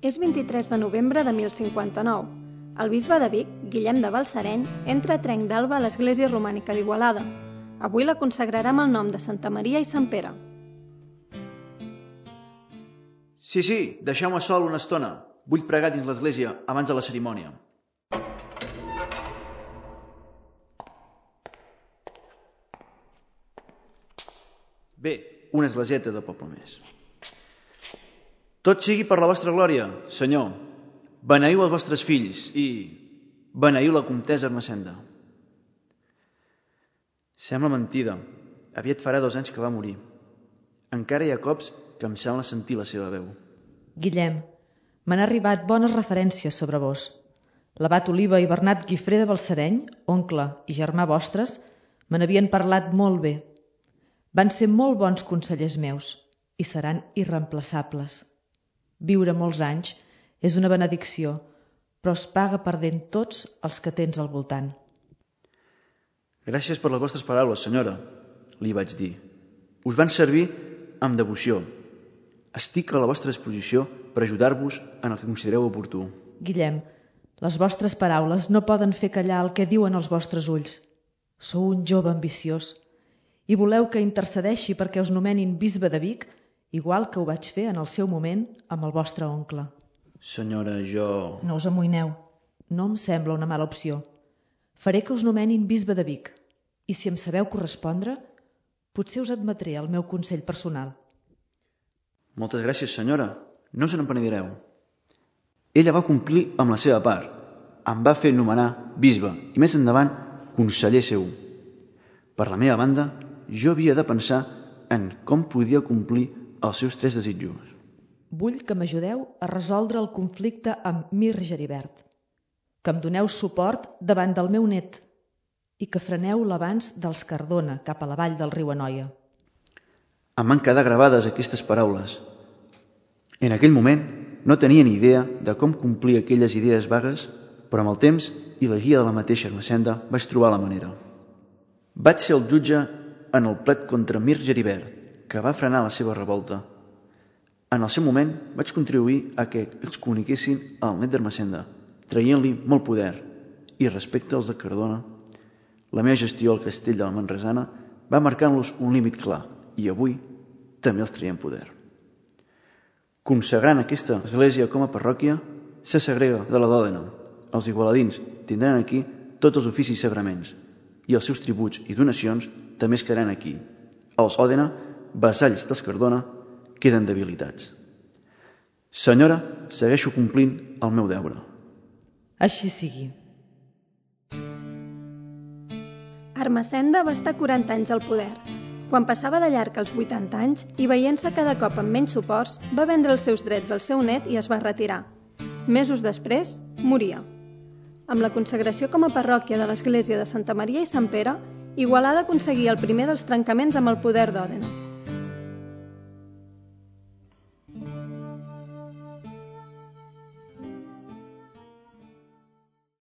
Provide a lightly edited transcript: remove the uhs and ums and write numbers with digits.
És 23 de novembre de 1059. El bisbe de Vic, Guillem de Balsareny, entra a Trenc d'Alba a l'església romànica d'Igualada. Avui la consagrarà amb el nom de Santa Maria i Sant Pere. Sí, deixeu-me sol una estona. Vull pregar dins l'església abans de la cerimònia. Bé, una esglésieta de poble més. Tot sigui per la vostra glòria, Senyor. Beneiu els vostres fills i beneiu la comtessa Ermessenda. Sembla mentida. Aviat farà 2 anys que va morir. Encara hi ha cops que em sembla sentir la seva veu. Guillem, m'han arribat bones referències sobre vos. L'abat Oliva i Bernat Guifré de Balsareny, oncle i germà vostres, me n'havien parlat molt bé. Van ser molt bons consellers meus i seran irreemplaçables. Viure molts anys és una benedicció, però es paga perdent tots els que tens al voltant. Gràcies per les vostres paraules, senyora, li vaig dir. Us van servir amb devoció. Estic a la vostra disposició per ajudar-vos en el que considereu oportú. Guillem, les vostres paraules no poden fer callar el que diuen els vostres ulls. Sou un jove ambiciós i voleu que intercedeixi perquè us nomenin bisbe de Vic, igual que ho vaig fer en el seu moment amb el vostre oncle. Senyora, jo... No us amoïneu. No em sembla una mala opció. Faré que us nomenin bisbe de Vic i si em sabeu correspondre, potser us admetré el meu consell personal. Moltes gràcies, senyora. No us n'empenedireu. Ella va complir amb la seva part. Em va fer nomenar bisbe i més endavant conseller seu. Per la meva banda, jo havia de pensar en com podia complir els seus 3 desitjos. Vull que m'ajudeu a resoldre el conflicte amb Mir Geribert, que em doneu suport davant del meu net i que freneu l'avanç dels Cardona cap a la vall del riu Anoia. Em van quedar gravades aquestes paraules. En aquell moment no tenia ni idea de com complir aquelles idees vagues, però amb el temps i la guia de la mateixa Ermessenda vaig trobar la manera. Vaig ser el jutge en el plet contra Mir Geribert, que va frenar la seva revolta. En el seu moment vaig contribuir a que excomuniquessin el net d'Ermessenda, traient-li molt poder, i respecte als de Cardona, la meva gestió al castell de la Manresana va marcant-los un límit clar, i avui també els traiem poder. Consagrant aquesta església com a parròquia, se segrega de la d'Òdena. Els igualadins tindran aquí tots els oficis i sagraments, i els seus tributs i donacions també es quedaran aquí. Els Òdena, vassalls dels Cardona, queden debilitats. Senyora, segueixo complint el meu deure. Així sigui. Ermessenda va estar 40 anys al poder. Quan passava de llarg els 80 anys i veient-se cada cop amb menys suports, va vendre els seus drets al seu net i es va retirar. Mesos després, moria. Amb la consagració com a parròquia de l'església de Santa Maria i Sant Pere, Igualada aconseguia el primer dels trencaments amb el poder d'Òdena.